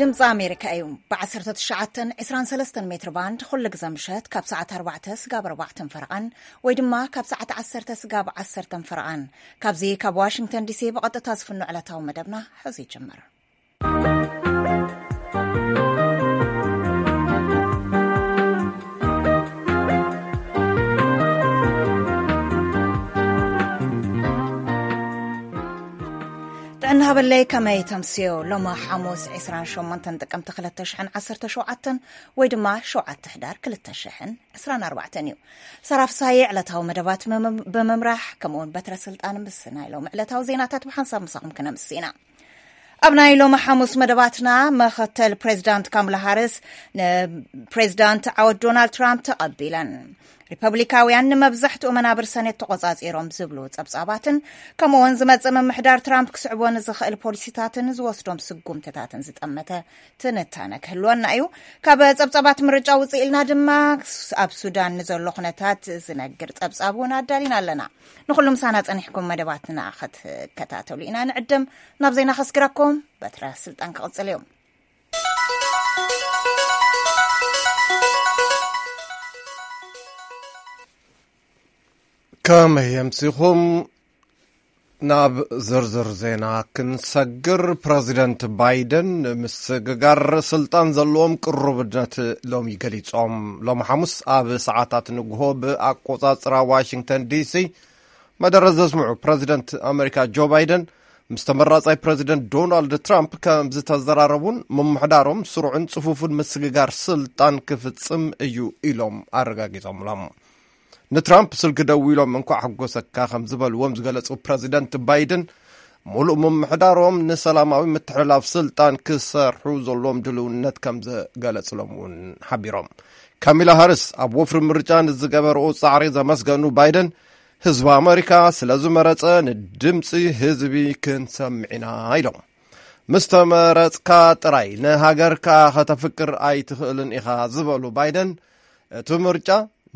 ድምፂ ኣሜሪካ እዩ። ብ19 23 ሜትር ባንድ ኩሉ ግዘ ምሸት ካብ ሰዓት ኣርባዕተ ስጋብ ኣርባዕተን ፈረቓን ወይ ድማ ካብ ሰዓት ዓሰርተ ስጋብ ዓሰርተን ፈረቓን፣ ካብዚ ካብ ዋሽንግተን ዲሲ ብቐጥታ ዝፍኖ ዕለታዊ መደብና ሕዚ ይጅምር። ጥዕና ሃበለይ፣ ከመይ ተምስዮ? ሎሚ ሓሙስ 28 ጥቅምቲ 2017 ወይ ድማ 7 ሕዳር 2024 እዩ። ሰራፍ ሳየ ዕለታዊ መደባት መም-፣ ብምምራሕ፣ ከምኡውን በትረ ስልጣን ምስ ናይ ሎም ዕለታዊ ዜናታት ብሓንሳብ ምሳኹም ክነምስና። ኣብ ናይ ሎም ሓሙስ መደባትና፣ መኸተል ፕሬዚዳንት ካምላ ሃሪስ ንፕሬዚዳንት ዓወት ዶናልድ ትራምፕ ተቐቢለን። ሪፐብሊካውያን ንመብዛሕትኡ መናብር ሰኔት ተቖጻጺሮም ዝብሉ ጸብጻባትን፣ ከምኡውን ዝመጽእ ምምሕዳር ትራምፕ ክስዕቦ ንዝኽእል ፖሊሲታትን ዝወስዶም ስጉምትታትን ዝጠመተ ትንታነ ክህልወና እዩ። ካብ ጸብጻባት ምርጫ ውጽእ ኢልና ድማ ኣብ ሱዳን ንዘሎ ኩነታት ዝነግር ጸብጻብ እውን ኣዳሊና ኣለና። ንኹሉ ምሳና ጸኒሕኩም መደባትና ክትከታተሉ ኢና ንዕድም። ናብ ዜና ከስግረኩም፣ በትረ ስልጣን ክቕጽል እዩ። ከመይ ኣምሲኹም? ናብ ዝርዝር ዜና ክንሰግር፣ ፕረዚደንት ባይደን ንምስግጋር ስልጣን ዘለዎም ቅሩብነት ሎሚ ገሊጾም። ሎሚ ሓሙስ ኣብ ሰዓታት ንግሆ ብኣቆጻጽራ ዋሽንግተን ዲሲ መደረ ዘስምዑ፣ ፕረዚደንት ኣመሪካ ጆ ባይደን ምስ ተመራጻይ ፕረዚደንት ዶናልድ ትራምፕ ከም ዝተዘራረቡን ምምሕዳሮም ስሩዕን ጽፉፍን ምስግጋር ስልጣን ክፍጽም እዩ ኢሎም ኣረጋጊጾምሎም። ንትራምፕ ስልኪ ደዊሎም እንኳዕ ሓጎሰካ ከም ዝበልዎም ዝገለጹ ፕረዚደንት ባይደን፣ ሙሉእ ምምሕዳሮም ንሰላማዊ ምትሕልላፍ ስልጣን ክሰርሑ ዘለዎም ድልውነት ከም ዘገለጽሎም እውን ሓቢሮም። ካሚላ ሃሪስ ኣብ ወፍሪ ምርጫ ንዝገበርኦ ጻዕሪ ዘመስገኑ ባይደን፣ ህዝቢ ኣመሪካ ስለ ዝመረጸ ንድምጺ ህዝቢ ክንሰምዕ ኢና ኢሎም። ምስ ተመረጽካ ጥራይ ንሃገርካ ከተፍቅር ኣይትኽእልን ኢኻ ዝበሉ ባይደን፣ እቲ ምርጫ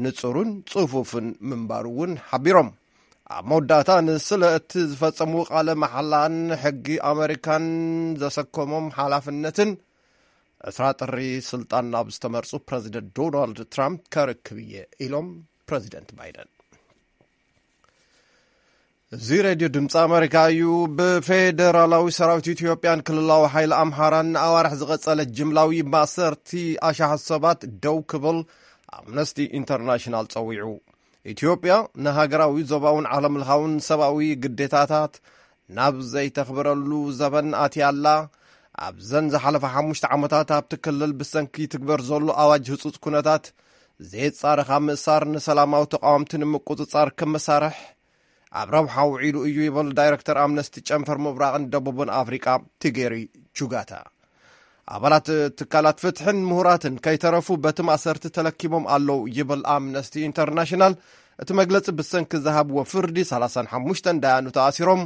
ንጹርን ጽፉፍን ምንባሩ እውን ሓቢሮም። ኣብ መወዳእታ ንስለ እቲ ዝፈጸምዎ ቃለ መሓላን ሕጊ ኣመሪካን ዘሰከሞም ሓላፍነትን፣ ዕስራ ጥሪ ስልጣን ናብ ዝተመርጹ ፕረዚደንት ዶናልድ ትራምፕ ከርክብ እየ ኢሎም ፕረዚደንት ባይደን። እዚ ሬድዮ ድምፂ ኣመሪካ እዩ። ብፌደራላዊ ሰራዊት ኢትዮጵያን ክልላዊ ሓይሊ ኣምሓራን ንኣዋርሕ ዝቐጸለ ጅምላዊ ማእሰርቲ ኣሽሓት ሰባት ደው ክብል ኣምነስቲ ኢንተርናሽናል ጸዊዑ። ኢትዮጵያ ንሃገራዊ፣ ዞባውን ዓለምለኻውን ሰብኣዊ ግዴታታት ናብ ዘይተኽብረሉ ዘበን ኣትያ ኣላ። ኣብዘን ዝሓለፈ ሓሙሽተ ዓመታት ኣብቲ ክልል ብሰንኪ ትግበር ዘሎ ኣዋጅ ህጹጽ ኩነታት ዘየጻረኻ ምእሳር ንሰላማዊ ተቃወምቲ ንምቁጽጻር ክመሳርሕ ኣብ ረብሓ ውዒሉ እዩ ይብል ዳይረክተር ኣምነስቲ ጨንፈር ምብራቕን ደቡብን ኣፍሪቃ ቲጌሪ ቹጋታ። ኣባላት ትካላት ፍትሕን ምሁራትን ከይተረፉ በቲ ማእሰርቲ ተለኪሞም ኣለዉ ይብል ኣምነስቲ ኢንተርናሽናል። እቲ መግለጺ ብሰንኪ ዝሃብዎ ፍርዲ ሰላሳን ሓሙሽተን ዳያኑ ተኣሲሮም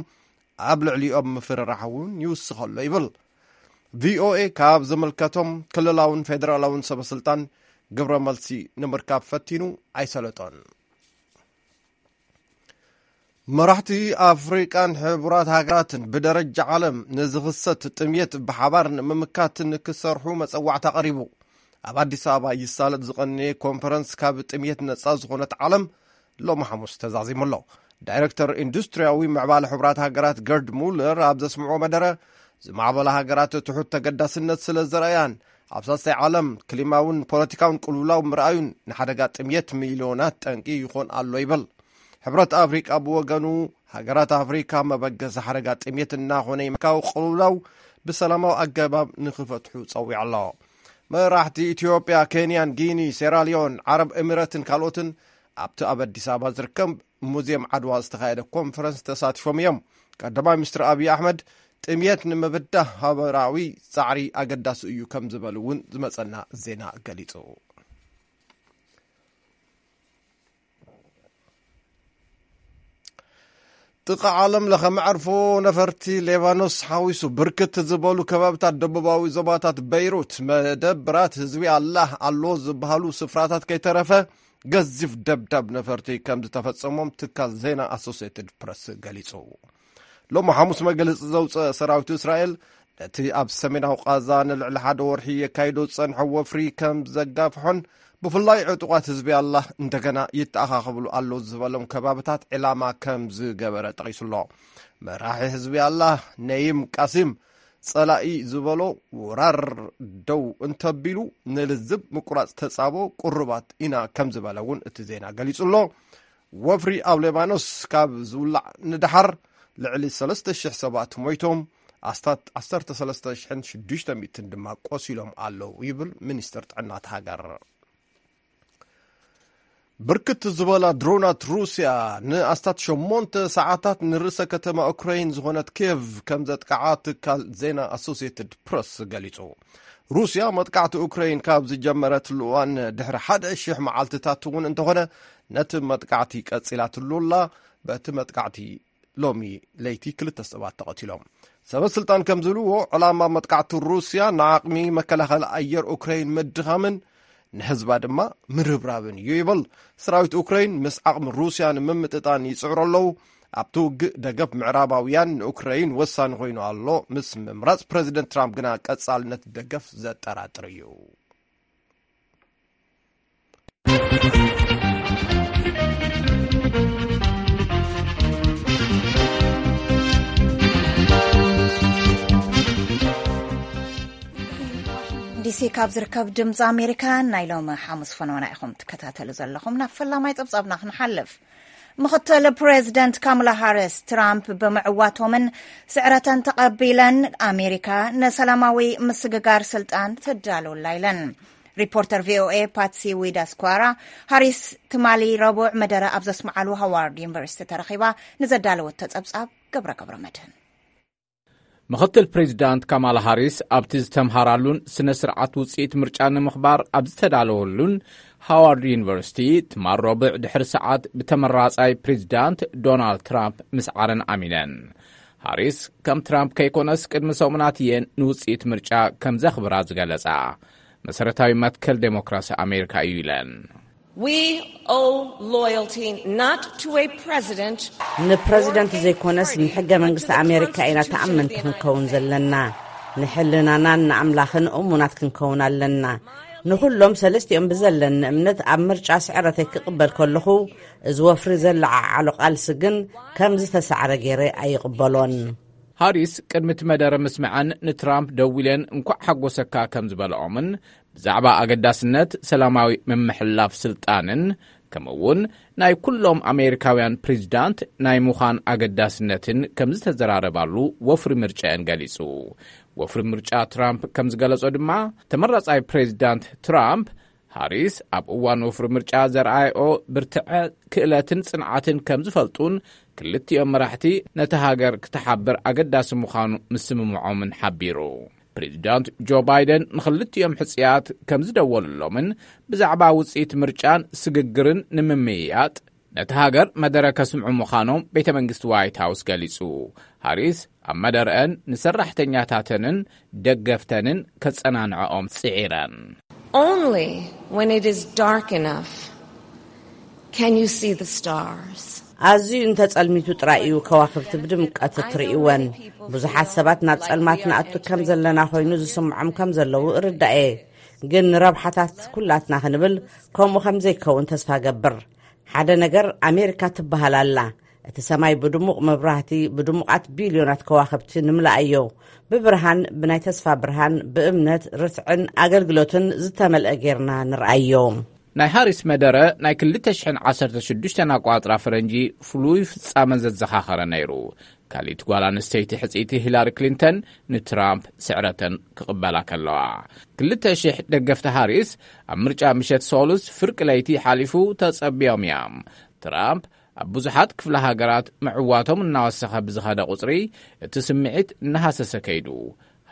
ኣብ ልዕሊኦም ምፍርራሕ እውን ይውስኸ ኣሎ ይብል። ቪኦኤ ካብ ዝምልከቶም ክልላውን ፌደራላውን ሰበስልጣን ግብረ መልሲ ንምርካብ ፈቲኑ ኣይሰለጦን። መራሕቲ ኣፍሪቃን ሕቡራት ሃገራትን ብደረጃ ዓለም ንዝኽሰት ጥምየት ብሓባር ንምምካት ንክሰርሑ መጸዋዕታ ቀሪቡ። ኣብ ኣዲስ ኣበባ ይሳለጥ ዝቐነየ ኮንፈረንስ ካብ ጥምየት ነጻ ዝኾነት ዓለም ሎሚ ሓሙስ ተዛዚሙ ኣሎ። ዳይረክተር ኢንዱስትሪያዊ ምዕባለ ሕቡራት ሃገራት ገርድ ሙለር ኣብ ዘስምዖ መደረ፣ ዝማዕበላ ሃገራት ትሑት ተገዳስነት ስለ ዘርኣያን ኣብ ሳልሳይ ዓለም ክሊማውን ፖለቲካውን ቅልውላው ምርኣዩን ንሓደጋ ጥምየት ሚልዮናት ጠንቂ ይኾን ኣሎ ይብል። ሕብረት ኣፍሪቃ ብወገኑ፣ ሃገራት ኣፍሪካ መበገሲ ሓደጋ ጥሜት እናኾነ ይመካው ቅልውላው ብሰላማዊ ኣገባብ ንኽፈትሑ ጸዊዑ ኣሎ። መራሕቲ ኢትዮጵያ፣ ኬንያን፣ ጊኒ፣ ሴራሊዮን፣ ዓረብ ኤሚረትን ካልኦትን ኣብቲ ኣብ ኣዲስ ኣበባ ዝርከብ ሙዚየም ዓድዋ ዝተኻየደ ኮንፈረንስ ተሳቲፎም እዮም። ቀዳማይ ሚኒስትር ኣብይ ኣሕመድ፣ ጥምየት ንምብዳህ ሃበራዊ ጻዕሪ ኣገዳሲ እዩ ከም ዝበሉ እውን ዝመጸና ዜና ገሊጹ። ጥቓ ዓለም ለኸ መዕርፎ ነፈርቲ ሌባኖስ ሓዊሱ ብርክት ዝበሉ ከባብታት ደቡባዊ ዞባታት በይሩት፣ መደብራት ህዝቢ ኣላህ ኣሎ ዝበሃሉ ስፍራታት ከይተረፈ ገዚፍ ደብዳብ ነፈርቲ ከም ዝተፈጸሞም ትካል ዜና ኣሶሲየትድ ፕረስ ገሊጹ። ሎሚ ሓሙስ መግለጺ ዘውፅአ ሰራዊት እስራኤል፣ እቲ ኣብ ሰሜናዊ ቃዛ ንልዕሊ ሓደ ወርሒ የካይዶ ዝጸንሐ ወፍሪ ከም ዘጋፍሖን፣ ብፍላይ ዕጡቓት ህዝቢ ኣላህ እንደገና ይተኣኻኸብሉ ኣለዉ ዝበሎም ከባብታት ዕላማ ከም ዝገበረ ጠቒሱ ኣሎ። መራሒ ህዝቢ ኣላህ ነይም ቃሲም፣ ጸላኢ ዝበሎ ወራር ደው እንተቢሉ፣ ንልዝብ ምቁራጽ ተጻቦ ቁሩባት ኢና ከም ዝበለ እውን እቲ ዜና ገሊጹ ኣሎ። ወፍሪ ኣብ ሌባኖስ ካብ ዝውላዕ ንደሓር ልዕሊ ሰለስተ ሽሕ ሰባት ሞይቶም፣ ኣስታት ዓሰርተ ሰለስተ ሽሕን ሽዱሽተ ሚእትን ድማ ቆሲሎም ኣለዉ ይብል ሚኒስትር ጥዕና እቲ ሃገር። ብርክት ዝበላ ድሮናት ሩስያ ንኣስታት ሸሞንተ ሰዓታት ንርእሰ ከተማ ኡክራይን ዝኾነት ኪየቭ ከም ዘጥቅዓ ትካል ዜና ኣሶሲየትድ ፕረስ ገሊጹ። ሩስያ መጥቃዕቲ ኡክራይን ካብ ዝጀመረትሉ እዋን ድሕሪ ሓደ ሽሕ መዓልትታት እውን እንተኾነ፣ ነቲ መጥቃዕቲ ቀጺላትሉ ኣላ። በቲ መጥቃዕቲ ሎሚ ለይቲ ክልተ ሰባት ተቐቲሎም። ሰበ ስልጣን ከም ዝብልዎ፣ ዕላማ መጥቃዕቲ ሩስያ ንዓቕሚ መከላኸሊ ኣየር ኡክራይን ምድኻምን ንህዝባ ድማ ምርብራብን እዩ ይብል። ሰራዊት ኡክራይን ምስ ዓቕሚ ሩስያ ንምምጥጣን ይጽዕሩ ኣለዉ። ኣብቲ ውግእ ደገፍ ምዕራባውያን ንኡክራይን ወሳኒ ኮይኑ ኣሎ። ምስ ምምራጽ ፕረዚደንት ትራምፕ ግና ቀጻልነት ደገፍ ዘጠራጥር እዩ። ዲሲ ካብ ዝርከብ ድምፂ ኣሜሪካ ናይ ሎሚ ሓሙስ ፈነወና ኢኹም ትከታተሉ ዘለኹም። ናብ ፈላማይ ፀብፃብና ክንሓልፍ። ምኽትል ፕሬዚደንት ካማላ ሃሪስ ትራምፕ ብምዕዋቶምን ስዕረተን ተቐቢለን ኣሜሪካ ንሰላማዊ ምስግጋር ስልጣን ትዳለውላ ኢለን። ሪፖርተር ቪኦኤ ፓትሲ ዊዳስኳራ ሃሪስ ትማሊ ረቡዕ መደረ ኣብ ዘስምዓሉ ሃዋርድ ዩኒቨርሲቲ ተረኺባ ንዘዳለወቶ ጸብጻብ ገብረ ገብረ መድህን። ምኽትል ፕሬዚዳንት ካማላ ሃሪስ ኣብቲ ዝተምሃራሉን ስነ ስርዓት ውፅኢት ምርጫ ንምኽባር ኣብ ዝተዳለወሉን ሃዋርድ ዩኒቨርሲቲ ትማል ረቡዕ ድሕሪ ሰዓት ብተመራጻይ ፕሬዚዳንት ዶናልድ ትራምፕ ምስዓረን ኣሚነን። ሃሪስ ከም ትራምፕ ከይኮነስ ቅድሚ ሰሙናት እየን ንውፅኢት ምርጫ ከም ዘኽብራ ዝገለጻ። መሰረታዊ መትከል ዴሞክራሲ ኣሜሪካ እዩ ኢለን። We owe loyalty not to a president ንፕረዚደንት ዘይኮነስ ንሕገ መንግስቲ ኣሜሪካ ኢና ተኣመንቲ ክንከውን ዘለና። ንሕልናናን ንኣምላኽን እሙናት ክንከውን ኣለና። ንኹሎም ሰለስቲኦም ብዘለኒ እምነት ኣብ ምርጫ ስዕረተይ ክቕበል ከለኹ፣ እዚ ወፍሪ ዘለዓዓሎ ቃልሲ ግን ከም ዝተሳዕረ ገይረ ኣይቕበሎን። ሃሪስ ቅድሚ እቲ መደረ ምስምዐን ንትራምፕ ደዊለን እንኳዕ ሓጎሰካ ከም ዝበልኦምን ብዛዕባ ኣገዳስነት ሰላማዊ ምምሕልላፍ ስልጣንን ከምኡውን ናይ ኩሎም ኣሜሪካውያን ፕሬዚዳንት ናይ ምዃን ኣገዳስነትን ከም ዝተዘራረባሉ ወፍሪ ምርጫ እየን ገሊጹ። ወፍሪ ምርጫ ትራምፕ ከም ዝገለጾ ድማ ተመራጻይ ፕሬዚዳንት ትራምፕ ሃሪስ ኣብ እዋን ወፍሪ ምርጫ ዘርኣየኦ ብርትዐ ክእለትን ጽንዓትን ከም ዝፈልጡን ክልቲኦም መራሕቲ ነቲ ሃገር ክትሓብር ኣገዳሲ ምዃኑ ምስምምዖምን ሓቢሩ። ፕሬዚዳንት ጆ ባይደን ንኽልቲኦም ሕጽያት ከም ዝደወሉሎምን ብዛዕባ ውጽኢት ምርጫን ስግግርን ንምምይያጥ ነቲ ሃገር መደረ ከስምዑ ምዃኖም ቤተ መንግስቲ ዋይት ሃውስ ገሊጹ። ሃሪስ ኣብ መደረአን ንሰራሕተኛታተንን ደገፍተንን ከጸናንዐኦም ጽዒረን። Only when it is dark enough can you see the stars. ኣዝዩ እንተጸልሚቱ ጥራይ እዩ ከዋኽብቲ ብድምቀት እትርእይወን። ብዙሓት ሰባት ናብ ጸልማት ንኣቱ ከም ዘለና ኮይኑ ዝስምዖም ከም ዘለዉ እርዳእ እየ። ግን ንረብሓታት ኩላትና ክንብል ከምኡ ከም ዘይከውን ተስፋ ገብር። ሓደ ነገር ኣሜሪካ ትበሃል ኣላ። እቲ ሰማይ ብድሙቕ መብራህቲ፣ ብድሙቓት ቢልዮናት ከዋኽብቲ ንምልኣዮ። ብብርሃን፣ ብናይ ተስፋ ብርሃን፣ ብእምነት፣ ርትዕን ኣገልግሎትን ዝተመልአ ጌርና ንርኣዮ። ናይ ሃሪስ መደረ ናይ ክልተ ሽሕን ዓሰርተ ሽዱሽተን ኣቋጽራ ፈረንጂ ፍሉይ ፍጻመ ዘዘኻኸረ ነይሩ። ካሊት ጓል ኣንስተይቲ ሕጽይቲ ሂላሪ ክሊንተን ንትራምፕ ስዕረተን ክቕበላ ከለዋ። ክልተ ሽሕ ደገፍቲ ሃሪስ ኣብ ምርጫ ምሸት ሶሉስ ፍርቂ ለይቲ ሓሊፉ ተጸቢዮም እዮም። ትራምፕ ኣብ ብዙሓት ክፍለ ሃገራት ምዕዋቶም እናወሰኸ ብዝኸደ ቁጽሪ እቲ ስምዒት እናሃሰሰ ከይዱ።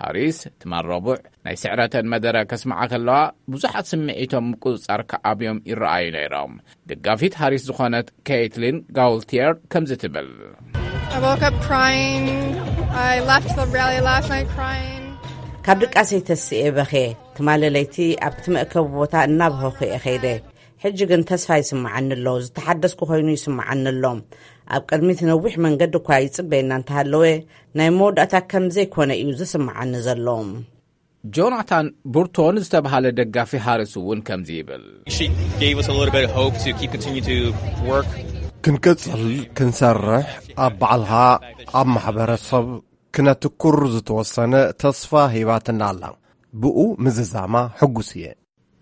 ሃሪስ ትማል ረቡዕ ናይ ስዕረተን መደረ ከስምዓ ከለዋ ብዙሓት ስምዒቶም ምቁጽጻር ክኣብዮም ይረኣዩ ነይሮም። ደጋፊት ሃሪስ ዝኾነት ኬይትሊን ጋውልቲየር ከምዚ ትብል። I woke up crying. I left the rally last night crying. ካብ ድቃሰይ ተስኤ በኸ። ትማሊ ለይቲ ኣብቲ መእከቢ ቦታ እናበኸኹ እየ ኸይደ። ሕጂ ግን ተስፋ ይስምዓኒ ኣሎ፣ ዝተሓደስኩ ኮይኑ ይስምዓኒ ኣሎ። ኣብ ቅድሚት ነዊሕ መንገዲ እኳ ይጽበየና እንተሃለወ፣ ናይ መወዳእታ ከም ዘይኮነ እዩ ዝስምዓኒ ዘሎ። ጆናታን ቡርቶን ዝተባሃለ ደጋፊ ሃሪስ እውን ከምዚ ይብል። She gave us a little bit of hope to keep continue to work. ክንቅጽል፣ ክንሰርሕ፣ ኣብ ባዕልኻ፣ ኣብ ማሕበረሰብ ክነትኩር ዝተወሰነ ተስፋ ሂባትና ኣላ። ብኡ ምዝዛማ ሕጉስ እየ።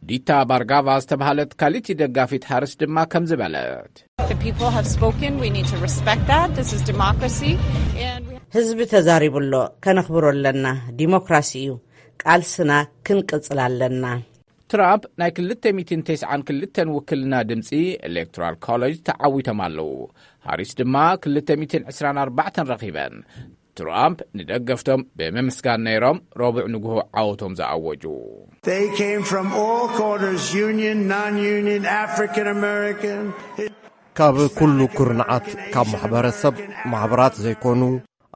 ዲታ ባርጋቫ ዝተባሃለት ካልእቲ ደጋፊት ሃሪስ ድማ ከምዚ በለት። The people have spoken. We need to respect that. This is democracy. And we ህዝቢ ተዛሪቡ ኣሎ፣ ከነኽብሮ ኣለና። ዲሞክራሲ እዩ፣ ቃልስና ክንቅጽል ኣለና። ትራምፕ ናይ ክልተ ሚእትን ተስዓን ክልተን ውክልና ድምፂ ኤሌክቶራል ኮሌጅ ተዓዊቶም ኣለዉ። ሃሪስ ድማ ክልተ ሚእትን ዕስራን ኣርባዕተን ረኺበን። ትራምፕ ንደገፍቶም ብምምስጋን ነይሮም ረቡዕ ንግሆ ዓወቶም ዝኣወጁ። They came from all corners, union, non-union, African American. ካብ ኩሉ ኩርንዓት፣ ካብ ማሕበረሰብ ማሕበራት ዘይኮኑ፣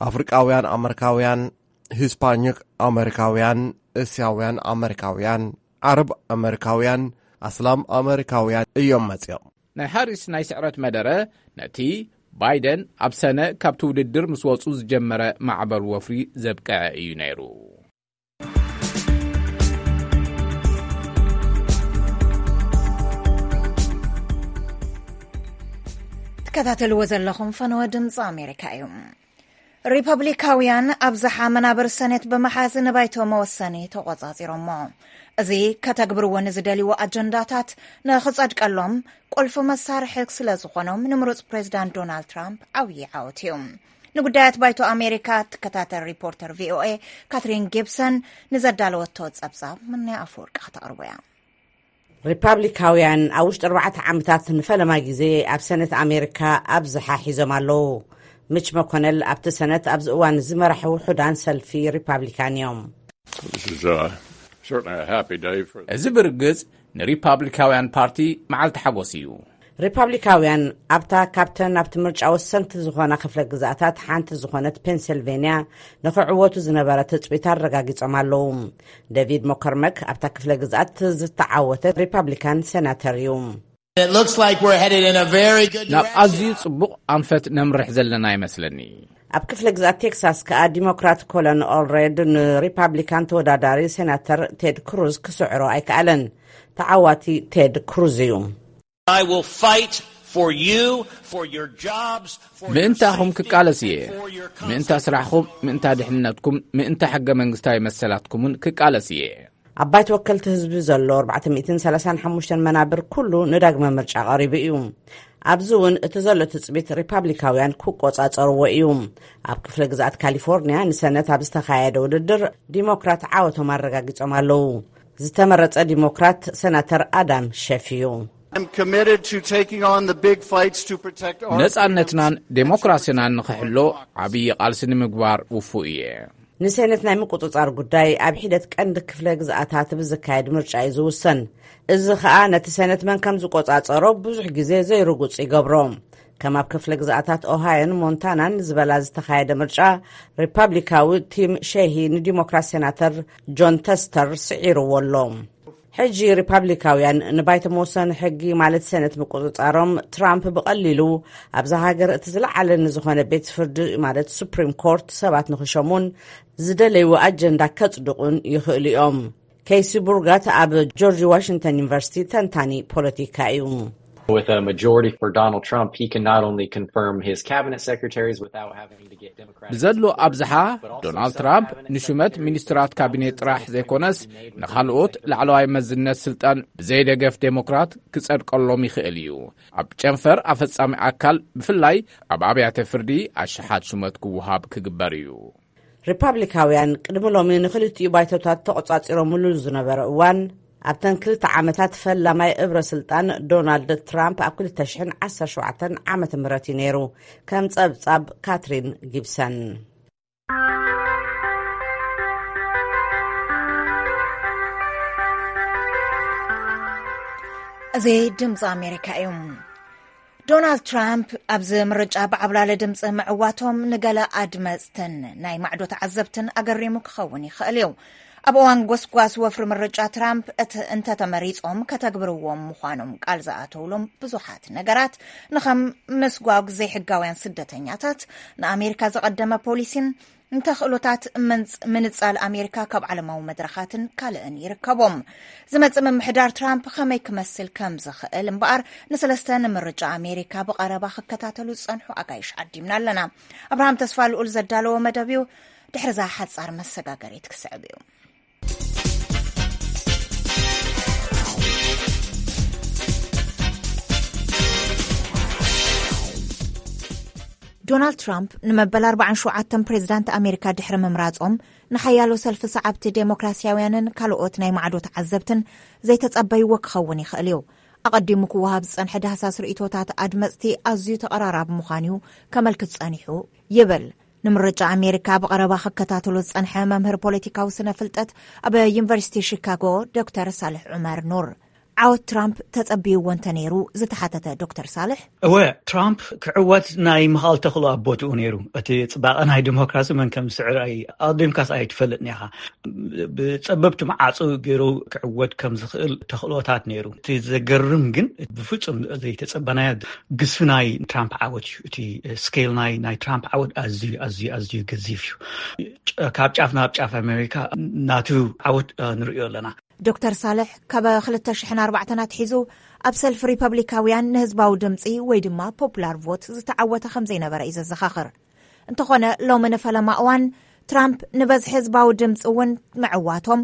ኣፍሪቃውያን ኣመሪካውያን፣ ሂስፓኒክ ኣመሪካውያን፣ እስያውያን ኣመሪካውያን፣ ዓረብ ኣመሪካውያን፣ ኣስላም ኣመሪካውያን እዮም መጺኦም። ናይ ሃሪስ ናይ ስዕረት መደረ ነቲ ባይደን ኣብ ሰነ ካብቲ ውድድር ምስ ወጹ ዝጀመረ ማዕበል ወፍሪ ዘብቅዐ እዩ ነይሩ። ትከታተልዎ ዘለኹም ፈነወ ድምፂ ኣሜሪካ እዩ። ሪፐብሊካውያን ኣብዝሓ መናብር ሰኔት ብምሓዝ ንባይቶ መወሰኒ ተቖጻጺሮሞ። እዚ ከተግብርዎ ንዝደልይዎ ኣጀንዳታት ንኽጸድቀሎም ቁልፊ መሳርሒ ስለ ዝኾኖም ንምሩጽ ፕሬዚዳንት ዶናልድ ትራምፕ ዓብዪ ዓወት እዩ። ንጉዳያት ባይቶ ኣሜሪካ ትከታተል ሪፖርተር ቪ ኦ ኤ ካትሪን ጊብሰን ንዘዳለወቶ ጸብጻብ ምናይ ኣፈወርቂ ከተቕርቦ እያ። ሪፓብሊካውያን ኣብ ውሽጢ ኣርባዕተ ዓመታት ንፈለማ ግዜ ኣብ ሰነት ኣሜሪካ ኣብዝሓ ሒዞም ኣለዉ። ምች መኮነል ኣብቲ ሰነት ኣብዚ እዋን ዝመራሕ ውሑዳን ሰልፊ ሪፓብሊካን እዮም። This is, uh, certainly a happy day for እዚ ብርግጽ ንሪፓብሊካውያን ፓርቲ መዓልቲ ሓጎስ እዩ። ሪፓብሊካውያን ኣብታ ካብተን ኣብቲ ምርጫ ወሰንቲ ዝኾና ክፍለ ግዛኣታት ሓንቲ ዝኾነት ፔንሲልቬንያ ንኽዕወቱ ዝነበረ ትጽቢት ኣረጋጊጾም ኣለዉ። ዴቪድ ሞከርመክ ኣብታ ክፍለ ግዛኣት ዝተዓወተ ሪፓብሊካን ሴናተር እዩ። It looks like we're headed in a very good ናብ ኣዝዩ ጽቡቕ ኣንፈት ነምርሕ ዘለና ይመስለኒ። ኣብ ክፍለ ግዛኣት ቴክሳስ ከኣ ዲሞክራት ኮለን ኦልሬድ ንሪፓብሊካን ተወዳዳሪ ሴናተር ቴድ ክሩዝ ክስዕሮ ኣይከኣለን። ተዓዋቲ ቴድ ክሩዝ እዩ። I will fight for you, for your jobs, for your ምእንታኹም safety, ክቃለስ እየ። and for your ምእንታ constitution. ስራሕኹም፣ ምእንታ ድሕንነትኩም፣ ምእንታ ሕገ መንግስታዊ መሰላትኩምን ክቃለስ እየ። ኣብ ባይቶ ወከልቲ ህዝቢ ዘሎ ኣርባዕተ ሚእትን ሰላሳን ሓሙሽተን መናብር ኩሉ ንዳግመ ምርጫ ቀሪቡ እዩ። ኣብዚ እውን እቲ ዘሎ ትጽቢት ሪፓብሊካውያን ክቆጻጸርዎ እዩ። ኣብ ክፍለ ግዝኣት ካሊፎርኒያ ንሰነት ኣብ ዝተኻየደ ውድድር ዲሞክራት ዓወቶም ኣረጋጊጾም ኣለዉ። ዝተመረጸ ዲሞክራት ሰናተር ኣዳም ሸፍ እዩ። I'm committed to taking on the big fights to protect our ነጻነትናን freedoms and to ዴሞክራሲናን ንኽሕሎ ዓብዪ ቃልሲ ንምግባር ውፉእ እየ። ንሰነት ናይ ምቁጽጻር ጉዳይ ኣብ ሒደት ቀንዲ ክፍለ ግዝኣታት ብዝካየድ ምርጫ እዩ ዝውሰን። እዚ ኸኣ ነቲ ሰነት መን ከም ዝቆጻጸሮ ብዙሕ ግዜ ዘይርጉጽ ይገብሮ። ከም ኣብ ክፍለ ግዝኣታት ኦሃዮን ሞንታናን ዝበላ ዝተኻየደ ምርጫ፣ ሪፓብሊካዊ ቲም ሼሂ ንዲሞክራት ሴናተር ጆን ተስተር ስዒርዎ ኣሎ። ሕጂ ሪፓብሊካውያን ንባይቶ መወሰኒ ሕጊ ማለት ሰነት ምቁጽጻሮም፣ ትራምፕ ብቐሊሉ ኣብዛ ሃገር እቲ ዝለዓለ ንዝኾነ ቤት ፍርዲ ማለት ሱፕሪም ኮርት ሰባት ንኽሸሙን ዝደለይዎ ኣጀንዳ ከጽድቑን ይኽእሉ እዮም። ኬሲ ቡርጋት ኣብ ጆርጅ ዋሽንግተን ዩኒቨርሲቲ ተንታኒ ፖለቲካ እዩ። With a majority for Donald Trump, he can not only confirm his cabinet secretaries without having to get Democratic ብዘሎ support, ኣብዝሓ፣ but also ዶናልድ some ትራምፕ cabinet ንሹመት secretaries ሚኒስትራት ካቢኔት ጥራሕ ዘይኮነስ ንኻልኦት ላዕለዋይ መዝነት ስልጣን ብዘይደገፍ ዴሞክራት ክጸድቀሎም ይኽእል እዩ። ኣብ ጨንፈር ኣፈጻሚ ኣካል፣ ብፍላይ ኣብ ኣብያተ ፍርዲ፣ ኣሽሓት ሹመት ክወሃብ ክግበር እዩ። ሪፓብሊካውያን ቅድሚ ሎሚ ንኽልቲኡ ባይቶታት ተቖጻጺሮምሉ ዝነበረ እዋን፣ ኣብተን ክልተ ዓመታት ፈላማይ እብረ ስልጣን ዶናልድ ትራምፕ ኣብ ክልተ ሽሕን ዓሰርተ ሸውዓተን ዓመተ ምህረት እዩ ነይሩ። ከም ጸብጻብ ካትሪን ጊብሰን። እዚ ድምፂ ኣሜሪካ እዩ። ዶናልድ ትራምፕ ኣብዚ ምርጫ ብዓብላሊ ድምፂ ምዕዋቶም ንገለ ኣድመፅትን ናይ ማዕዶ ተዓዘብትን ኣገሪሙ ክኸውን ይኽእል እዩ። ኣብ እዋን ጎስጓስ ወፍሪ ምርጫ ትራምፕ እቲ እንተተመሪጾም ከተግብርዎም ምዃኖም ቃል ዝኣተውሎም ብዙሓት ነገራት፣ ንኸም ምስጓግ ዘይሕጋውያን ስደተኛታት፣ ንኣሜሪካ ዝቐደመ ፖሊሲን ንተኽእሎታት ምንጽ- ምንጻል ኣሜሪካ ካብ ዓለማዊ መድረኻትን ካልእን ይርከቦም። ዝመጽእ ምምሕዳር ትራምፕ ከመይ ክመስል ከም ዝኽእል እምበኣር፣ ንሰለስተ ንምርጫ ኣሜሪካ ብቐረባ ክከታተሉ ዝጸንሑ ኣጋይሽ ዓዲምና ኣለና። ኣብርሃም ተስፋ ልኡል ዘዳለዎ መደብ እዩ። ድሕሪ እዛ ሓጻር መሰጋገሪት ክስዕብ እዩ። ዶናልድ ትራምፕ ንመበል ኣርባዓን ሸውዓተን ፕሬዚዳንት ኣሜሪካ ድሕሪ ምምራጾም፣ ንሓያሎ ሰልፊ ሰዓብቲ ዴሞክራሲያውያንን ካልኦት ናይ ማዕዶ ተዓዘብትን ዘይተጸበይዎ ክኸውን ይኽእል እዩ። ኣቐዲሙ ክወሃብ ዝጸንሐ ዳህሳስ ርእይቶታት ኣድመጽቲ ኣዝዩ ተቐራራቢ ምዃኑ እዩ ከመልክት ጸኒሑ ይብል። ንምርጫ ኣሜሪካ ብቐረባ ክከታተሎ ዝጸንሐ መምህር ፖለቲካዊ ስነ ፍልጠት ኣብ ዩኒቨርሲቲ ሺካጎ ዶክተር ሳልሕ ዑመር ኑር፣ ዓወት ትራምፕ ተጸብይዎ እንተ ነይሩ ዝተሓተተ ዶክተር ሳልሕ፣ እወ፣ ትራምፕ ክዕወት ናይ ምኽኣል ተኽእሎ ኣብ ቦትኡ ነይሩ። እቲ ጽባቐ ናይ ዲሞክራሲ መን ከም ዝስዕር ኣይ- ኣቐዲምካስ ኣይትፈልጥን ኢኻ። ብጸበብቲ መዓጹ ገይሩ ክዕወት ከም ዝኽእል ተኽእሎታት ነይሩ። እቲ ዘገርም ግን ብፍጹም ዘይተጸበናዮ ግዝፊ ናይ ትራምፕ ዓወት እዩ። እቲ ስኬል ናይ ናይ ትራምፕ ዓወት ኣዝዩ ኣዝዩ ኣዝዩ ገዚፍ እዩ። ጨ- ካብ ጫፍ ናብ ጫፍ ኣሜሪካ ናቱ ዓወት እ፣ ንርእዮ ኣለና። ዶክተር ሳልሕ ካብ ክልተ ሽሕን ኣርባዕተን ኣትሒዙ ኣብ ሰልፊ ሪፐብሊካውያን ንህዝባዊ ድምፂ ወይ ድማ ፖፑላር ቮት ዝተዓወተ ከም ዘይነበረ እዩ ዘዘኻኽር። እንተኾነ ሎሚ ንፈለማ እዋን ትራምፕ ንበዝሒ ህዝባዊ ድምፂ እውን ምዕዋቶም፣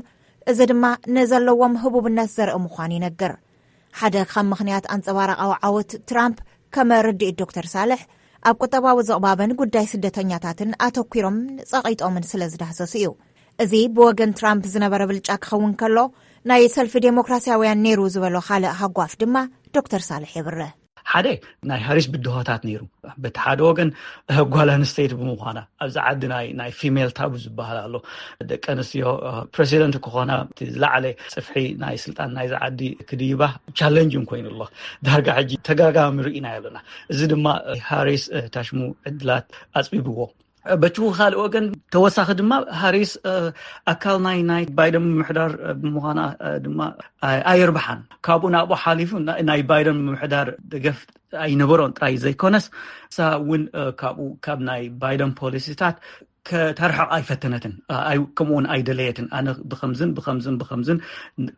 እዚ ድማ ንዘለዎም ህቡብነት ዘርኢ ምዃኑ ይነግር። ሓደ ካብ ምኽንያት ኣንጸባራቓዊ ዓወት ትራምፕ ከም ርድኢት ዶክተር ሳልሕ፣ ኣብ ቁጠባዊ ዝቕባበን ጉዳይ ስደተኛታትን ኣተኲሮምን ጸቒጦምን ስለ ዝዳህሰሱ እዩ። እዚ ብወገን ትራምፕ ዝነበረ ብልጫ ክኸውን ከሎ፣ ናይ ሰልፊ ዴሞክራሲያውያን ነይሩ ዝበሎ ካልእ ሃጓፍ ድማ ዶክተር ሳልሕ የብርህ። ሓደ ናይ ሃሪስ ብድሆታት ነይሩ። በቲ ሓደ ወገን እ፣ ጓል ኣንስተይቲ ብምዃና ኣብዚ ዓዲ ናይ ናይ ፊሜል ታቡ ዝበሃል ኣሎ። ደቂ ኣንስትዮ እ፣ ፕሬሲደንት ክኾና እቲ ዝለዓለ ጽፍሒ ናይ ስልጣን ናይዚ ዓዲ ክድይባ ቻለንጅ ኮይኑ ኣሎ። ዳርጋ ሕጂ ተጋጋሚ ርኢና ኣለና። እዚ ድማ እ፣ ሃሪስ እ፣ ታሽሙ ዕድላት ኣጽቢብዎ። በቲ ካልእ ወገን ተወሳኺ ድማ ሃሪስ እ፣ ኣካል ናይ ናይ ባይደን ምምሕዳር እ፣ ብምዃና እ፣ ድማ ኣይ- ኣየርብሓን። ካብኡ ናብኡ ሓሊፉ ና- ናይ ባይደን ምምሕዳር ደገፍ ኣይነበሮን ጥራይ ዘይኮነስ፣ እሳ እውን እ፣ ካብኡ ካብ ናይ ባይደን ፖሊሲታት ከተርሕቕ ኣይፈተነትን። እ፣ ኣይ- ከምኡ እውን ኣይደለየትን። ኣነ ብኸምዝን ብኸምዝን ብኸምዝን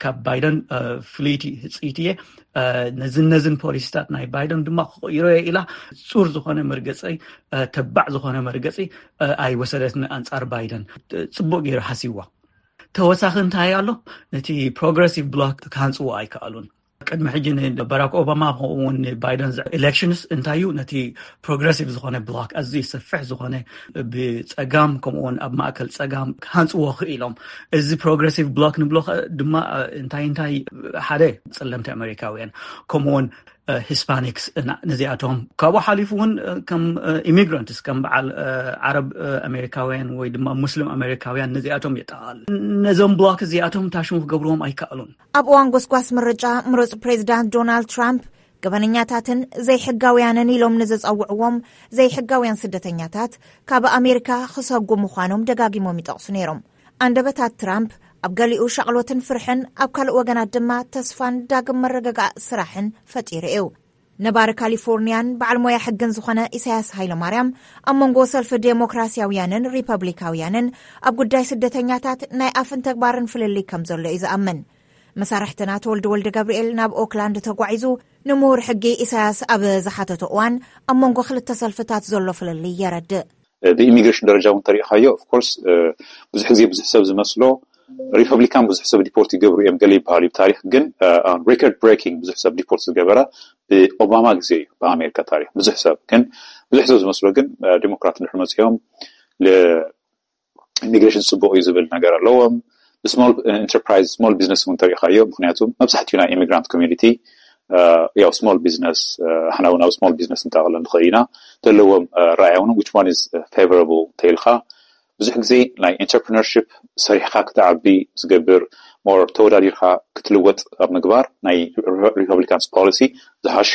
ካብ ባይደን እ፣ ፍልይቲ ህፅይቲ እየ፣ እ፣ ነዝን ነዝን ፖሊሲታት ናይ ባይደን ድማ ክቕይሮ እየ ኢላ ፁር ዝኾነ መርገፂ እ፣ ተባዕ ዝኾነ መርገፂ እ፣ ኣይወሰደትን ኣንጻር ባይደን። እ፣ ጽቡቕ ገይሩ ሓሲብዋ። ተወሳኺ እንታይ ኣሎ? ነቲ ፕሮግረሲቭ ብሎክ ክሃንጽዎ ኣይከኣሉን። ቅድሚ ሕጂ ንባራክ ኦባማ ከምኡ እውን ንባይደን ኢሌክሽንስ እንታይ እዩ? ነቲ ፕሮግረሲቭ ዝኾነ ብሎክ፣ ኣዝዩ ሰፊሕ ዝኾነ ብጸጋም ከምኡ እውን ኣብ ማእከል ጸጋም ክሃንጽዎ ክኢሎም። እዚ ፕሮግረሲቭ ብሎክ ንብሎ ከ ድማ እንታይ እንታይ ሓደ ጸለምቲ ኣሜሪካውያን ከምኡ እውን ሂስፓኒክስ ነዚኣቶም ካብኡ ሓሊፉ እውን ከም ኢሚግራንትስ ከም በዓል ዓረብ ኣሜሪካውያን ወይ ድማ ሙስሊም ኣሜሪካውያን ነዚኣቶም የጠቓል። ነዞም ብሎክ እዚኣቶም ታሽሙ ክገብርዎም ኣይከኣሉን። ኣብ እዋን ጎስጓስ ምርጫ ምሩፅ ፕሬዚዳንት ዶናልድ ትራምፕ ገበነኛታትን ዘይሕጋውያንን ኢሎም ንዝፀውዕዎም ዘይሕጋውያን ስደተኛታት ካብ ኣሜሪካ ክሰጉ ምዃኖም ደጋጊሞም ይጠቕሱ ነይሮም። ኣንደበታት ትራምፕ ኣብ ገሊኡ ሻቕሎትን ፍርሕን፣ ኣብ ካልእ ወገናት ድማ ተስፋን ዳግም መረጋጋእ ስራሕን ፈጢሩ እዩ። ነባሪ ካሊፎርኒያን በዓል ሞያ ሕግን ዝኾነ ኢሳያስ ሃይለማርያም ኣብ መንጎ ሰልፊ ዴሞክራሲያውያንን ሪፐብሊካውያንን ኣብ ጉዳይ ስደተኛታት ናይ ኣፍን ተግባርን ፍልልይ ከም ዘሎ እዩ ዝኣምን። መሳርሕትና ተወልደ ወልደ ገብርኤል ናብ ኦክላንድ ተጓዒዙ ንምሁር ሕጊ ኢሳያስ ኣብ ዝሓተቶ እዋን ኣብ መንጎ ክልተ ሰልፍታት ዘሎ ፍልልይ የረድእ። ብኢሚግሬሽን ደረጃ እውን ተሪኢኻዮ ኦፍኮርስ ብዙሕ ግዜ ብዙሕ ሰብ ዝመስሎ ሪፐብሊካን ብዙሕ ሰብ ዲፖርት ይገብሩ እዮም ገለ ይበሃል እዩ ታሪክ ግን ሬኮርድ ብሬኪንግ ብዙሕ ሰብ ዲፖርት ዝገበረ ብኦባማ ግዜ እዩ ብኣሜሪካ ታሪክ ብዙሕ ሰብ ግን ብዙሕ ሰብ ዝመስሎ ግን ዲሞክራት እንድሕር መፅኦም ኢሚግሬሽን ፅቡቅ እዩ ዝብል ነገር ኣለዎም። ስሞል ኢንተርፕራይዝ ስሞል ቢዝነስ እውን ተሪኢኻዮ ምክንያቱ መብዛሕትኡ ናይ ኢሚግራንት ኮሚኒቲ ያው ስሞል ቢዝነስ ሓና እውን ኣብ ስሞል ቢዝነስ እንጠቕለ ንኽእል ኢና ዘለዎም ራእያ እውን which one is favorable ተይልካ ብዙሕ ግዜ ናይ ኢንተርፕርነርሽፕ ሰሪሕካ ክትዓቢ ዝገብር ሞር ተወዳዲርካ ክትልወጥ ኣብ ምግባር ናይ ሪፐብሊካንስ ፖሊሲ ዝሓሸ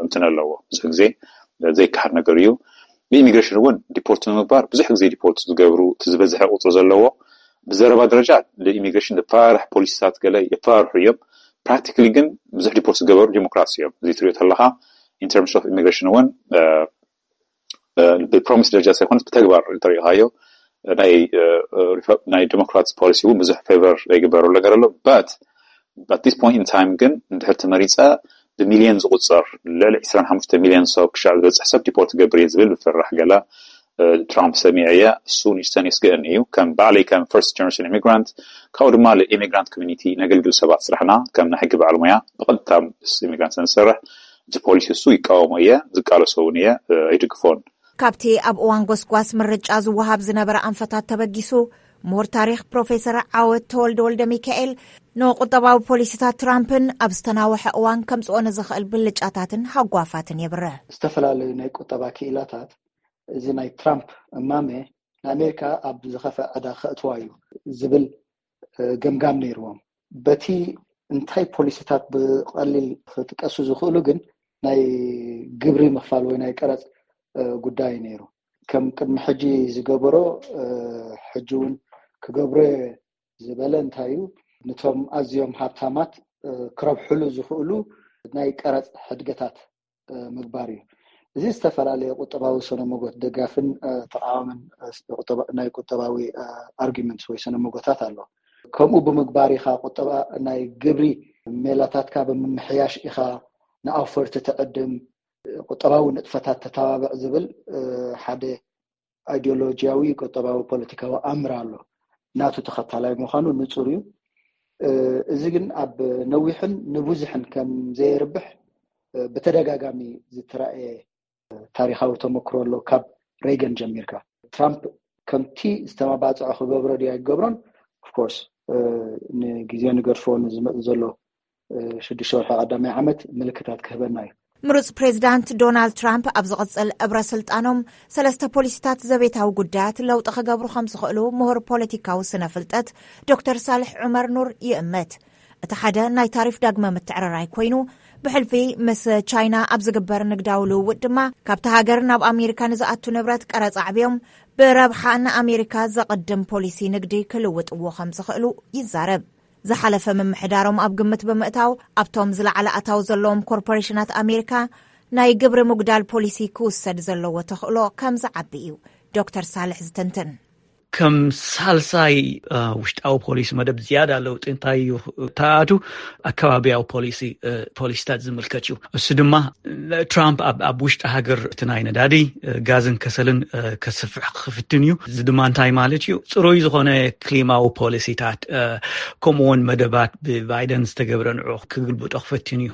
እንትን ኣለዎ ብዙሕ ግዜ ዘይከሓድ ነገር እዩ። ብኢሚግሬሽን እውን ዲፖርት ንምግባር ብዙሕ ግዜ ዲፖርት ዝገብሩ እቲ ዝበዝሐ ቁፅሪ ዘለዎ ብዘረባ ደረጃ ንኢሚግሬሽን ዝፈራርሕ ፖሊሲታት ገለ የፈራርሑ እዮም። ፕራክቲካሊ ግን ብዙሕ ዲፖርት ዝገበሩ ዲሞክራትስ እዮም። እዚ ትሪኦ ተለኻ ኢን ተርምስ ኦፍ ኢሚግሬሽን እውን ብፕሮሚስ ደረጃ ሳይኮንስ ብተግባር እንተሪኢኻዮ ናይ ዲሞክራትስ ፖሊሲ እውን ብዙሕ ፌቨር ዘይግበረሉ ነገር ኣሎ። በት በት ዲስ ፖይንት ኢን ታይም ግን እንድሕር ተመሪፀ ብሚልዮን ዝቁፀር ልዕሊ ዕስራን ሓሙሽተ ሚልዮን ሰብ ክሻዕ ዝበፅሕ ሰብ ዲፖርት ገብር እየ ዝብል ብፍራሕ ገለ ትራምፕ ሰሚዐ እየ። እሱ ንእሽተን የስግእን እዩ። ከም ባዕለይ ከም ፈርስት ጀነሬሽን ኢሚግራንት ካብኡ ድማ ንኢሚግራንት ኮሚኒቲ ነገልግል ሰባት ስራሕና ከም ናይ ሕጊ በዓል ሙያ ብቐጥታ ምስ ኢሚግራንት ንሰርሕ። እቲ ፖሊሲ እሱ ይቃወሞ እየ፣ ዝቃለሶ እውን እየ፣ ኣይድግፎን። ካብቲ ኣብ እዋን ጎስጓስ ምርጫ ዝወሃብ ዝነበረ ኣንፈታት ተበጊሱ፣ ምሁር ታሪኽ ፕሮፌሰር ዓወት ተወልደ ወልደ ሚካኤል ንቁጠባዊ ፖሊሲታት ትራምፕን ኣብ ዝተናወሐ እዋን ከምፅኦ ንዝኽእል ብልጫታትን ሃጓፋትን የብርህ። ዝተፈላለዩ ናይ ቁጠባ ክኢላታት እዚ ናይ ትራምፕ እማመ ንኣሜሪካ ኣብ ዝኸፈ ዕዳ ከእትዋ እዩ ዝብል ገምጋም ነይርዎም። በቲ እንታይ ፖሊሲታት ብቐሊል ክጥቀሱ ዝኽእሉ ግን ናይ ግብሪ ምኽፋል ወይ ናይ ቀረፅ ጉዳይ ነይሩ። ከም ቅድሚ ሕጂ ዝገበሮ ሕጂ እውን ክገብሮ ዝበለ እንታይ እዩ፣ ነቶም ኣዝዮም ሃብታማት ክረብሕሉ ዝኽእሉ ናይ ቀረፅ ሕድገታት ምግባር እዩ። እዚ ዝተፈላለየ ቁጠባዊ ሰነመጎት ደጋፍን ተቃዋምን ናይ ቁጠባዊ ኣርጊመንትስ ወይ ሰነመጎታት ኣሎ። ከምኡ ብምግባር ኢኻ ቁጠባ ናይ ግብሪ ሜላታትካ ብምምሕያሽ ኢኻ ንኣውፈርቲ ትዕድም፣ ቁጠባዊ ንጥፈታት ተተባብዕ ዝብል ሓደ ኣይዲዮሎጂያዊ ቁጠባዊ ፖለቲካዊ ኣምር ኣሎ። ናቱ ተኸታላይ ምዃኑ ንጹር እዩ። እዚ ግን ኣብ ነዊሕን ንብዙሕን ከም ዘየርብሕ ብተደጋጋሚ ዝተራእየ ታሪኻዊ ተመክሮ ኣሎ። ካብ ሬገን ጀሚርካ ትራምፕ ከምቲ ዝተመባፅዖ ክገብሮ ድዩ ኣይገብሮን ኦፍኮርስ ንግዜ ንገድፎ ንዝመፅ ዘሎ ሽዱሽተ ወርሒ ቀዳማይ ዓመት ምልክታት ክህበና እዩ። ምሩፅ ፕሬዚዳንት ዶናልድ ትራምፕ ኣብ ዝቕፅል እብረ ስልጣኖም ሰለስተ ፖሊሲታት ዘቤታዊ ጉዳያት ለውጢ ክገብሩ ከም ዝኽእሉ ምሁር ፖለቲካዊ ስነ ፍልጠት ዶክተር ሳልሕ ዑመር ኑር ይእምት። እቲ ሓደ ናይ ታሪፍ ዳግመ ምትዕርራይ ኮይኑ ብሕልፊ ምስ ቻይና ኣብ ዝግበር ንግዳዊ ልውውጥ ድማ ካብቲ ሃገር ናብ ኣሜሪካ ንዝኣቱ ንብረት ቀረፅ ኣዕብዮም ብረብሓ ንኣሜሪካ ዘቕድም ፖሊሲ ንግዲ ክልውጥዎ ከም ዝኽእሉ ይዛረብ። ዝሓለፈ ምምሕዳሮም ኣብ ግምት ብምእታው ኣብቶም ዝለዓለ ኣታዊ ዘለዎም ኮርፖሬሽናት ኣሜሪካ ናይ ግብሪ ምጉዳል ፖሊሲ ክውሰድ ዘለዎ ተኽእሎ ከም ዝዓቢ እዩ ዶክተር ሳልሕ ዝትንትን። ከም ሳልሳይ ውሽጣዊ ፖሊሲ መደብ ዝያዳ ለውጢ እንታይ እዩ ተኣቱ ኣከባቢያዊ ፖሊሲ ፖሊሲታት ዝምልከት እዩ። እሱ ድማ ትራምፕ ኣብ ውሽጢ ሃገር እቲ ናይ ነዳዲ ጋዝን ከሰልን ከስፍሕ ክፍትን እዩ። እዚ ድማ እንታይ ማለት እዩ? ፅሩይ ዝኾነ ክሊማዊ ፖሊሲታት ከምኡውን መደባት ብባይደን ዝተገብረ ንዑ ክግልብጦ ክፈትን እዩ።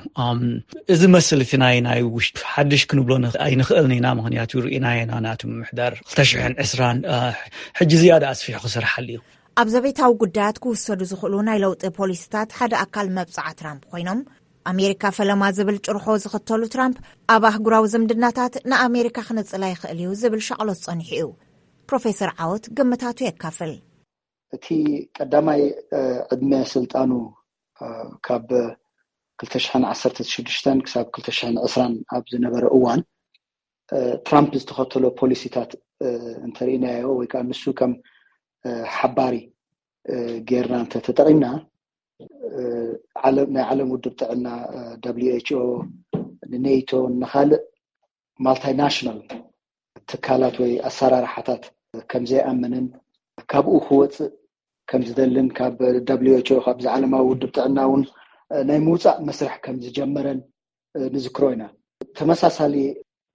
እዚ መስል እቲ ናይ ናይ ውሽጢ ሓድሽ ክንብሎ ኣይንኽእልን ኢና። ምክንያቱ ርኢናዮ ኢና ናቱ ምምሕዳር ክልተ ሽሕን ዕስራን ሕጂ ዝያዳ ኣስፊሑ ክሰርሓሉ እዩ። ኣብ ዘቤታዊ ጉዳያት ክውሰዱ ዝኽእሉ ናይ ለውጢ ፖሊሲታት ሓደ ኣካል መብፅዓ ትራምፕ ኮይኖም ኣሜሪካ ፈለማ ዝብል ጭርሖ ዝኽተሉ ትራምፕ ኣብ ኣህጉራዊ ዝምድናታት ንኣሜሪካ ክነፅላ ይኽእል እዩ ዝብል ሻቕሎት ፀኒሑ እዩ። ፕሮፌሰር ዓወት ግምታቱ የካፍል። እቲ ቀዳማይ ዕድመ ስልጣኑ ካብ ክልተ ሽሕን ዓሰርተ ሽዱሽተን ክሳብ ክልተ ሽሕን ዕስራን ኣብ ዝነበረ እዋን ትራምፕ ዝተኸተሎ ፖሊሲታት እንተርኢናዮ ወይ ከዓ ንሱ ከም ሓባሪ ጌርና እንተተጠቒምና ናይ ዓለም ውድብ ጥዕና ደብሊው ኤች ኦ ንኔቶ ንካልእ ማልታይናሽናል ትካላት ወይ ኣሰራርሓታት ከም ዘይኣምንን ካብኡ ክወፅእ ከም ዝደልን ካብ ደብሊው ኤች ኦ ካብዚ ዓለማዊ ውድብ ጥዕና እውን ናይ ምውፃእ መስርሕ ከም ዝጀመረን ንዝክሮ ኢና። ተመሳሳሊ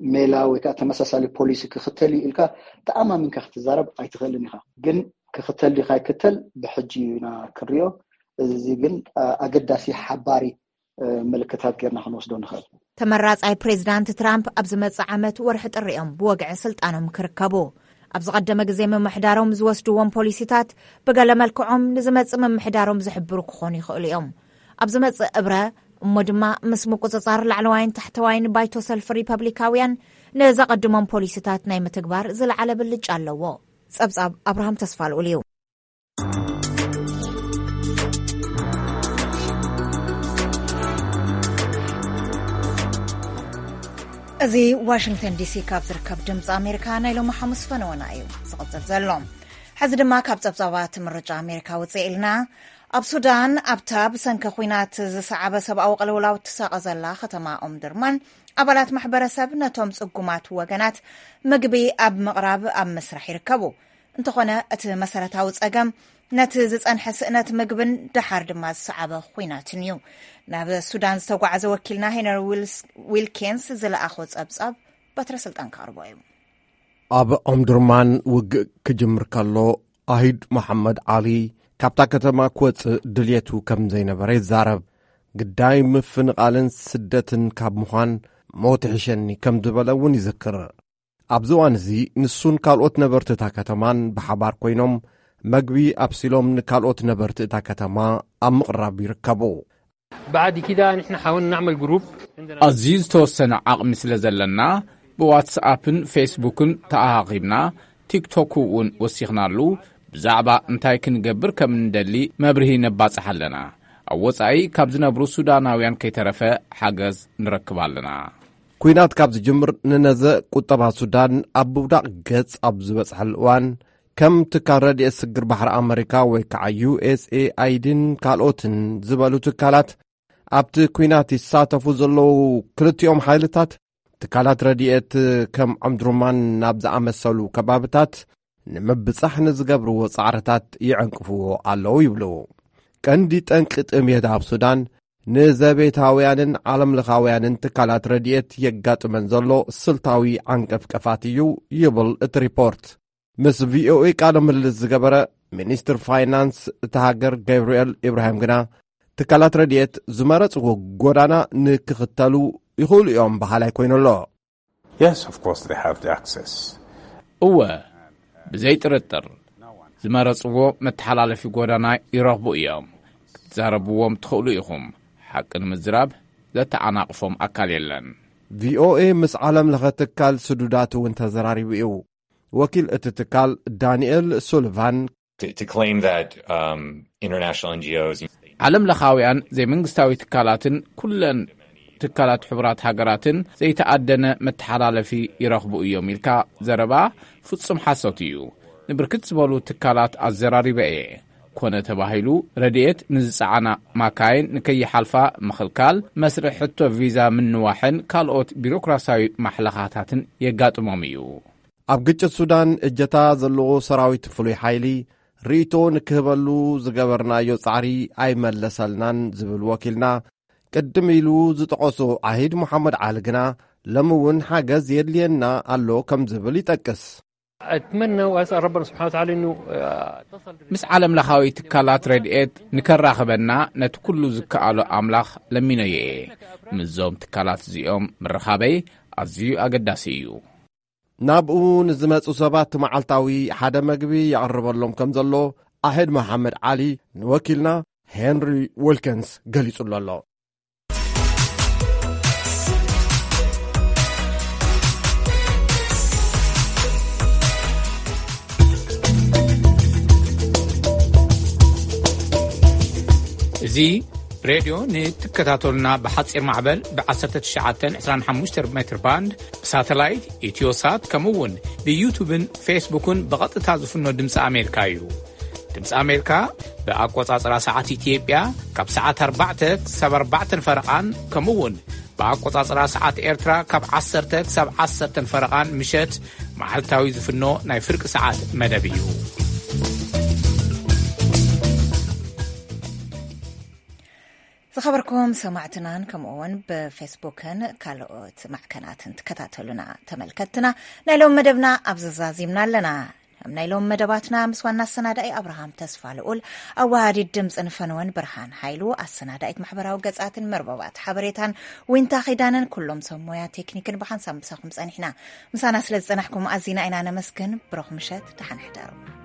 ሜላ ወይ ከዓ ተመሳሳሊ ፖሊሲ ክኽተል እዩ ኢልካ ተኣማሚንካ ክትዛረብ ኣይትኽእልን ኢኻ። ግን ክኽተል ዲካ ይክተል ብሕጂ ኢና ክንሪኦ። እዚ ግን ኣገዳሲ ሓባሪ ምልክታት ጌርና ክንወስዶ ንኽእል። ተመራፃይ ፕሬዚዳንት ትራምፕ ኣብ ዝመፅእ ዓመት ወርሒ ጥሪ እዮም ብወግዒ ስልጣኖም ክርከቡ። ኣብ ዝቐደመ ግዜ ምምሕዳሮም ዝወስድዎም ፖሊሲታት ብገለ መልክዖም ንዝመፅእ ምምሕዳሮም ዝሕብሩ ክኾኑ ይኽእሉ እዮም። ኣብ ዝመፅእ እብረ እሞ ድማ ምስ ምቁፅፃር ላዕለዋይን ታሕተዋይን ባይቶ ሰልፊ ሪፐብሊካውያን ንዘቐድሞም ፖሊሲታት ናይ ምትግባር ዝለዓለ ብልጫ ኣለዎ። ፀብፃብ ኣብርሃም ተስፋልኡል እዩ። እዚ ዋሽንግተን ዲሲ ካብ ዝርከብ ድምፂ ኣሜሪካ ናይ ሎሚ ሓሙስ ፈነወና እዩ ዝቕፅል ዘሎ። ሕዚ ድማ ካብ ጸብጻባት ምርጫ ኣሜሪካ ውጽእ ኢልና። ኣብ ሱዳን፣ ኣብታ ብሰንኪ ኲናት ዝሰዓበ ሰብኣዊ ቅልውላው ትሳቐ ዘላ ከተማ ኦምድርማን፣ ኣባላት ማሕበረሰብ ነቶም ጽጉማት ወገናት ምግቢ ኣብ ምቕራብ ኣብ ምስራሕ ይርከቡ። እንተኾነ፣ እቲ መሰረታዊ ጸገም ነቲ ዝጸንሐ ስእነት ምግብን ደሓር ድማ ዝሰዓበ ኲናትን እዩ። ናብ ሱዳን ዝተጓዓዘ ወኪልና ሄነሪ ዊልስ-፣ ዊልኪንስ ዝለኣኾ ጸብጻብ በትረ ስልጣን ከቕርቦ እዩ። ኣብ ኦምድርማን ውግእ ክጅምር ከሎ፣ ኣሂድ መሓመድ ዓሊ ካብታ ከተማ ክወጽእ ድልየቱ ከም ዘይነበረ ይዛረብ። ግዳይ ምፍንቓልን ስደትን ካብ ምዃን ሞት ይሕሸኒ ከም ዝበለ እውን ይዝክር። ኣብዚ እዋን እዚ ንሱን ካልኦት ነበርቲ እታ ከተማን ብሓባር ኮይኖም መግቢ ኣብሲሎም ንካልኦት ነበርቲ እታ ከተማ ኣብ ምቕራብ ይርከቡ። بعد كده نحن حاولنا نعمل جروب. ኣዝዩ ዝተወሰነ ዓቕሚ ስለ ዘለና ብዋትስኣፕን ፌስቡክን ተኣኻኺብና፣ ቲክቶክ እውን ወሲኽናሉ። ብዛዕባ እንታይ ክንገብር ከም እንደሊ መብርሂ ነባጽሕ ኣለና። ኣብ ወጻኢ ካብ ዝነብሩ ሱዳናውያን ከይተረፈ ሓገዝ ንረክብ ኣለና። ኲናት ካብ ዝጅምር ንነዘ ቁጠባ ሱዳን ኣብ ምውዳቕ ገጽ ኣብ ዝበጽሐሉ እዋን፣ ከም ትካል ረድኤት ስግር ባሕሪ ኣመሪካ ወይ ከዓ ዩ ኤስ ኤ ኣይ ዲን ካልኦትን ዝበሉ ትካላት ኣብቲ ኲናት ይሳተፉ ዘለዉ ክልቲኦም ሓይልታት፣ ትካላት ረድኤት ከም ዖምድሩማን ናብ ዝኣመሰሉ ከባብታት ንምብጻሕ ንዝገብርዎ ጻዕርታት ይዕንቅፍዎ ኣለዉ ይብሉ። ቀንዲ ጠንቂ ጥሜት ኣብ ሱዳን ንዘቤታውያንን ዓለምለኻውያንን ትካላት ረድኤት የጋጥመን ዘሎ ስልታዊ ዓንቀፍቀፋት እዩ ይብል እቲ ሪፖርት። ምስ ቪ ኦ ኤ ቃለ ምልልስ ዝገበረ ሚኒስትር ፋይናንስ እታ ሃገር ገብርኤል ኢብራሂም ግና፣ ትካላት ረድኤት ዝመረጽዎ ጎዳና ንክኽተሉ ይኽእሉ እዮም በሃላይ ኮይኑ ኣሎ። Yes, of course they have the access. እወ፣ ብዘይ ጥርጥር ዝመረጽዎ መተሓላለፊ ጎዳና ይረኽቡ እዮም። ክትዛረብዎም ትኽእሉ ኢኹም። ሓቂ ንምዝራብ ዘተዓናቕፎም ኣካል የለን። ቪ ኦ ኤ ምስ ዓለም ለኸ ትካል ስዱዳት እውን ተዘራሪቡ እዩ። ወኪል እቲ ትካል ዳንኤል ሱልቫን፣ To, to claim that, um, international N G Os ዓለም ለኻውያን ዘይመንግስታዊ ትካላትን ኩለን ትካላት ሕቡራት ሃገራትን ዘይተኣደነ መተሓላለፊ ይረኽቡ እዮም ኢልካ ዘረባ ፍጹም ሓሶት እዩ። ንብርክት ዝበሉ ትካላት ኣዘራሪበ እየ። ኮነ ተባሂሉ ረድኤት ንዝጸዓና ማካይን ንከይሓልፋ ምኽልካል፣ መስርሕ ሕቶ ቪዛ ምንዋሕን ካልኦት ቢሮክራሲያዊ ማሕለኻታትን የጋጥሞም እዩ። ኣብ ግጭት ሱዳን እጀታ ዘለዎ ሰራዊት ፍሉይ ሓይሊ ርእይቶ ንክህበሉ ዝገበርናዮ ጻዕሪ ኣይመለሰልናን ዝብል ወኪልና፣ ቅድም ኢሉ ዝጠቐሶ ዓሂድ መሓመድ ዓሊ ግና፣ ሎሚ እውን ሓገዝ የድልየና ኣሎ ከም ዝብል ይጠቅስ። أتمنى وأسأل ربنا سبحانه وتعالى إنه، آه، تصل ምስ ዓለም ለኻዊ ትካላት ረድኤት ንከራኽበና ነቲ ኩሉ ዝከኣሎ ኣምላኽ ለሚነዮ እየ። ምስዞም ትካላት እዚኦም ምርኻበይ ኣዝዩ ኣገዳሲ እዩ። ናብኡ ንዝመጹ ሰባት መዓልታዊ ሓደ መግቢ የቕርበሎም ከም ዘሎ ኣሕድ መሓመድ ዓሊ ንወኪልና ሄንሪ ዊልኪንስ ገሊጹሉ ኣሎ። እዚ ሬድዮ ንትከታተሉና ብሓጺር ማዕበል ብ19 25 ሜትር ባንድ ብሳተላይት ኢትዮሳት ከምኡ እውን ብዩቱብን ፌስቡክን ብቐጥታ ዝፍኖ ድምፂ ኣሜሪካ እዩ። ድምፂ ኣሜሪካ ብኣቆጻጽራ ሰዓት ኢትዮጵያ ካብ ሰዓት ኣርባዕተ ክሳብ ኣርባዕተ ፈረቓን ከምኡ እውን ብኣቆጻጽራ ሰዓት ኤርትራ ካብ ዓሰርተ ክሳብ ዓሰርተ ፈረቓን ምሸት መዓልታዊ ዝፍኖ ናይ ፍርቂ ሰዓት መደብ እዩ። ዝኸበርኩም ሰማዕትናን ከምኡ እውን ብፌስቡክን ካልኦት ማዕከናትን ትከታተሉና ተመልከትና፣ ናይ ሎም መደብና ኣብዚ ዛዚምና ኣለና። ኣብ ናይ ሎም መደባትና ምስ ዋና ኣሰናዳኢ ኣብርሃም ተስፋ ልኡል፣ ኣወሃዲት ድምፅን ፈነወን ብርሃን ሃይሉ፣ ኣሰናዳኢት ማሕበራዊ ገጻትን መርበባት ሓበሬታን ዊንታ ኺዳነን፣ ኩሎም ሰብ ሞያ ቴክኒክን ብሓንሳብ ምሳኹም ጸኒሕና። ምሳና ስለ ዝጸናሕኩም ኣዚና ኢና ነመስግን። ብሩኽ ምሸት፣ ደሓን ሕደሩ።